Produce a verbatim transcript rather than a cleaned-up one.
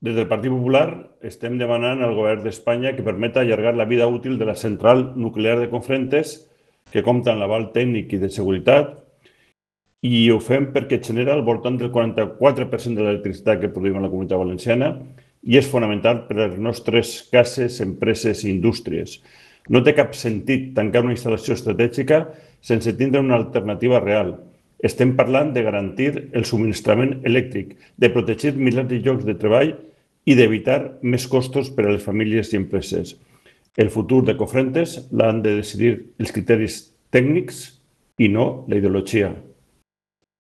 Des del Partit Popular estem demanant al govern d'Espanya que permeta allargar la vida útil de la central nuclear de Cofrentes, que compta amb l'aval tècnic i de seguretat, i ho fem perquè genera al voltant del quaranta-quatre per cent de l'electricitat que produïm a la Comunitat Valenciana i és fonamental per a les nostres cases, empreses i indústries. No té cap sentit tancar una instal·lació estratègica sense tindre una alternativa real. Estem parlant de garantir el subministrament elèctric, de protegir milers de llocs de treball i d'evitar més costos per a les famílies i empreses. El futur de Cofrentes l'han de decidir els criteris tècnics i no la ideologia.